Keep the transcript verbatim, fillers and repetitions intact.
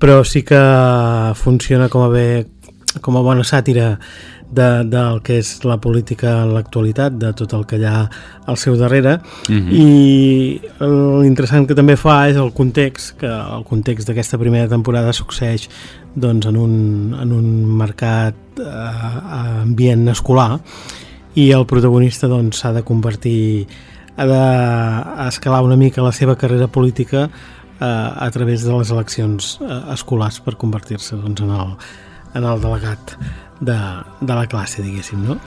però sí que funciona com a bé, com a bona sàtira de, del que és la política en l'actualitat, de tot el que hi ha al seu darrere. Mm-hmm. I l'interessant que també fa és el context, que el context d'aquesta primera temporada succeeix doncs, en, un, en un mercat eh, ambient escolar, i el protagonista doncs, s'ha de convertir, ha d'escalar una mica la seva carrera política eh, a través de les eleccions eh, escolars per convertir-se doncs, en, el, en el delegat de, de la classe, diguéssim, no?